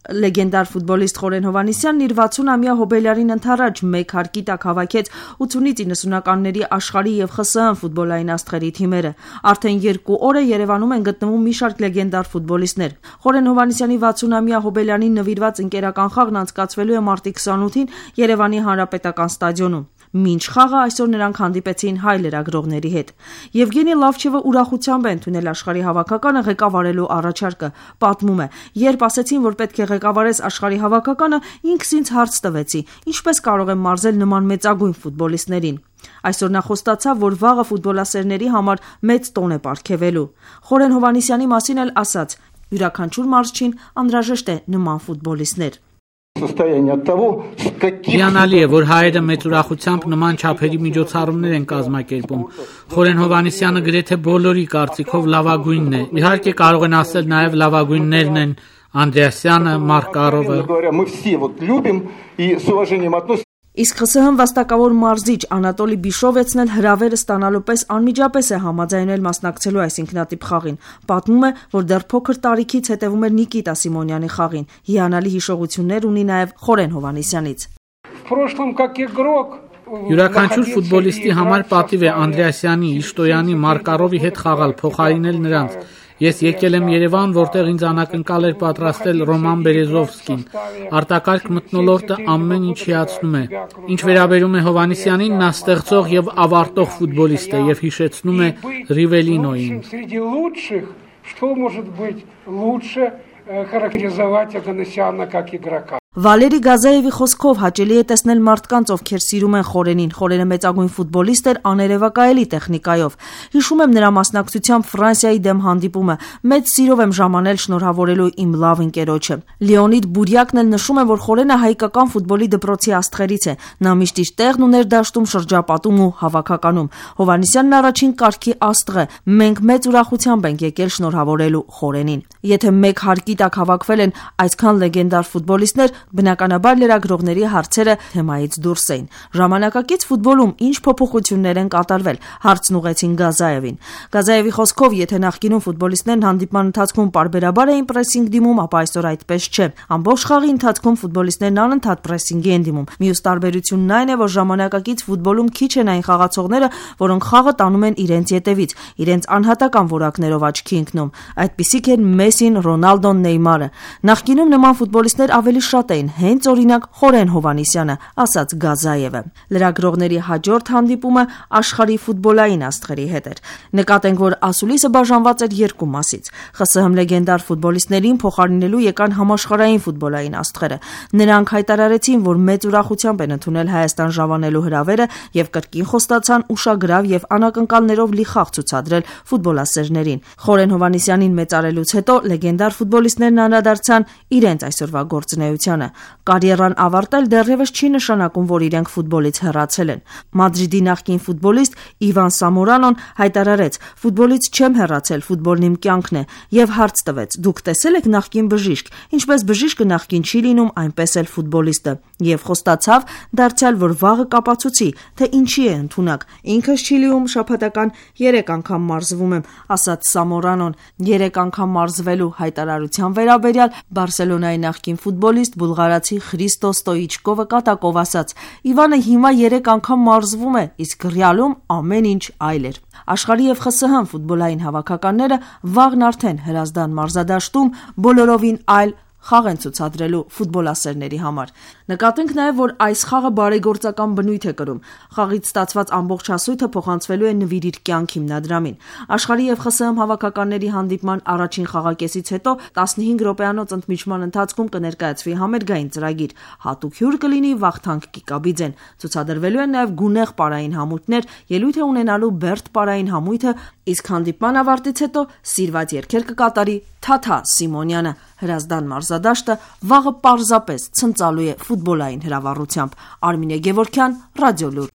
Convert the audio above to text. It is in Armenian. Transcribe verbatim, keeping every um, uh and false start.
Լեգենդար ֆուտբոլիստ Խորեն Հովհաննիսյանն իր վաթսունամյա հոբելյարին ընդառաջ մեկ հարկի տակ հավաքեց ութունից իննսունականների աշխարհի եւ ԽՍՀՄ ֆուտբոլային աստղերի թիմերը։ Արդեն երկու օր է Երևանում են գտնվում մի շարք լեգենդար ֆուտբոլիստներ։ Խորեն Հովհաննիսյանի վաթսունամյա հոբելյանին նվիրված ընկերական խաղն անցկացվելու է մարտի քսանութին Երևանի Հանրապետական ստադիոնում։ Մինչ խաղը այսօր նրանք հանդիպեցին հայ լրագրողների հետ։ Եվգենի Լավչևը ուրախությամբ է ընդունել աշխարհի հավաքականը ղեկավարելու առաջարկը։ Պատմում է. «Երբ ասեցին, որ պետք է ղեկավարես աշխարհի հավաքականը, ինքս ինձ հարց տվեցի. ինչպես կարող եմ մարզել նման մեծագույն ֆուտբոլիստներին։ Այսօր նա խոստացավ, որ վաղը ֆուտբոլասերների համար մեծ տոն է պարգևելու»։ Խորեն Հովհաննիսյանի մասին էլ ասաց. «Յուրաքանչյուր մարզչին անհրաժեշտ է նման ֆուտբոլիստներ»։ Հիանալի է, որ հայերը մեծ ուրախությամբ նման չափերի միջոցառումներ են կազմակերպում։ Խորեն Հովհաննիսյանը գրեթե բոլորի կարծիքով լավագույնն է։ Իհարկե կարող են ասել նաև լավագույններն են Անդրեասյանը, Մարկարովը։ Իսկ ԽՍՀՄ վաստակավոր մարզիչ Անատոլի Բիշովեցն էլ հրավերը ստանալու պես անմիջապես է համաձայնել մասնակցելու այս ինքնատիպ խաղին։ Պատմում է, որ դեռ փոքր տարիքից հետևում էր Նիկիտա Սիմոնյանի խաղին։ Հիանալի հիշողություններ ունի նաև Խորեն Հովհաննիսյանից։ Յուրաքանչյուր ֆուտբոլիստի համար պատիվ է Անդրեասյանի, Իշտոյանի, Մարկարովի հետ խաղալ, փոխարինել նրանց։ Ես եկել եմ Երևան, որտեղ ինձ անակնկալ էր պատրաստել Ռոման Բերեզովսկին։ Արտակարգ մթնոլորտը ամեն ինչ հիացնում է։ Ինչ վերաբերում է Հովհաննիսյանին, նա ստեղծող եւ ավարտող ֆուտբոլիստ է եւ հիշեցնում է Ռիվելինոին։ Վալերի Գազաևի խոսքով հաճելի է տեսնել մարդկանց, ովքեր սիրում են Խորենին։ Խորենը մեծագույն ֆուտբոլիստ էր աներևակայելի տեխնիկայով։ Հիշում եմ նրա մասնակցությամբ Ֆրանսիայի դեմ հանդիպումը։ Մեծ սիրով եմ ժամանել շնորհավորելու իմ լավ ընկերոջը։ Լեոնիդ Բուրյակն էլ նշում է, որ Խորենը հայկական ֆուտբոլի դպրոցի աստղերից է։ Նա միշտ իր տեղն ուներ դաշտում, շրջապատում ու հավաքականում։ Հովհաննիսյանն առաջին կարգի աստղ է։ Մենք մեծ ուրախությամբ ենք եկել շնորհավորելու Խորենին։ Եթե մեկ հարկի տակ հավաքվել են այսքան լեգենդար ֆուտբոլիստներ, բնականաբար լրագրողների հարցերը թեմայից դուրս էին։ Ժամանակակից ֆուտբոլում ինչ փոփոխություններ են կատարվել, հարցն ուղղեցին Գազաևին։ Գազաևի խոսքով, եթե նախկինում ֆուտբոլիստներն հանդիպման ընթացքում պարբերաբար էին պրեսինգ դիմում, ապա այսօր այդպես չէ։ Ամբողջ խաղի ընթացքում ֆուտբոլիստներն անընդհատ պրեսինգի են դիմում։ Մյուս տարբերությունն այն է, որ ժամանակակից ֆուտբոլում քիչ են այն խաղացողները, որոնք խաղը տանում են իրենց ետևից, իրենց անհատական որակներով աչքի ընկնում։ Այդպիսիք են Մեսին, Ռոնալդոն, Նեյմարը։ Նախկինում նման ֆուտբոլիստներ ավելի շատ էին, հենց օրինակ Խորեն Հովհաննիսյանը, ասաց Գազաևը։ Լրագրողների հաջորդ հանդիպումը աշխարհի ֆուտբոլային աստղերի հետ էր։ Նկատենք, որ ասուլիսը բաժանված էր երկու մասից։ ԽՍՀՄ լեգենդար ֆուտբոլիստներին փոխարինելու եկան համաշխարհային ֆուտբոլային աստղերը։ Նրանք հայտարարեցին, որ մեծ ուրախությամբ են ընդունել Հայաստան ժամանելու հրավերը եւ կրկին խոստացան ուշագրավ եւ անակնկալներով լի խաղ ցուցադրել ֆուտբոլասերներին։ Խորեն Հովհաննիսյանին մեծարելուց հետո լեգենդար ֆուտբոլիստներն անդրադարձան իրենց այսօրվա գործունեությանը։ Կարիերան ավարտել դեռևս չի նշանակում, որ իրենք ֆուտբոլից հեռացել են։ Մադրիդի նախկին ֆուտբոլիստ Իվան Սամորանոն հայտարարեց. «Ֆուտբոլից չեմ հեռացել, ֆուտբոլն իմ կյանքն է» եւ հարց տվեց. «Դուք տեսել եք նախկին բժիշկ, ինչպես բժիշկը նախկին չի լինում, այնպես էլ ֆուտբոլիստը»։ Եվ խոստացավ դարձյալ, որ վաղը կապացուցի, թե ինչի է ընդունակ։ Ինքս Չիլիում շաբաթական երեք անգամ մարզվում եմ, ասաց Սամորանոն։ Երեք անգամ մարզվելու հայտարարության վերաբերյալ Բարսելոնայի նախկին ֆուտբոլիստ բուլղարացի Խրիստո Ստոիչկովը կատակով ասաց. «Իվանը հիմա երեք անգամ մարզվում է, իսկ Ռեալում ամեն ինչ այլ էր»։ Աշխարհի եւ ԽՍՀՄ ֆուտբոլային հավաքականները վաղն արդեն Հրազդան մարզադաշտում բոլորովին այլ խաղ են ցուցադրելու ֆուտբոլասերների համար։ Նկատենք նաև, որ այս խաղը բարեգործական բնույթ է կրում։ Խաղից ստացված ամբողջ հասույթը փոխանցվելու է «Նվիր իր կյանք» հիմնադրամին։ Աշխարհի եւ ԽՍՀՄ հավաքականների հանդիպման առաջին խաղակեսից հետո տասնհինգ րոպեանոց ընդմիջման ընթացքում կներկայացվի համերգային ծրագիր։ Հատուկ հյուր կլինի Վախթանգ Կիկաբիձեն։ Ցուցադրվելու են նաև գունեղ պարային համույթներ, ելույթ է ունենալու Բերդ պարային համույթը, իսկ հանդիպման ավարտից հետո սիրված երգեր կկատարի Թաթա Սիմոնյանը։ Հրազդան մարզադաշտը վաղը պարզապես ցնծալու է ֆուտբոլային հրավառությամբ։ Արմինե Գևորգյան, Ռադիոլուր։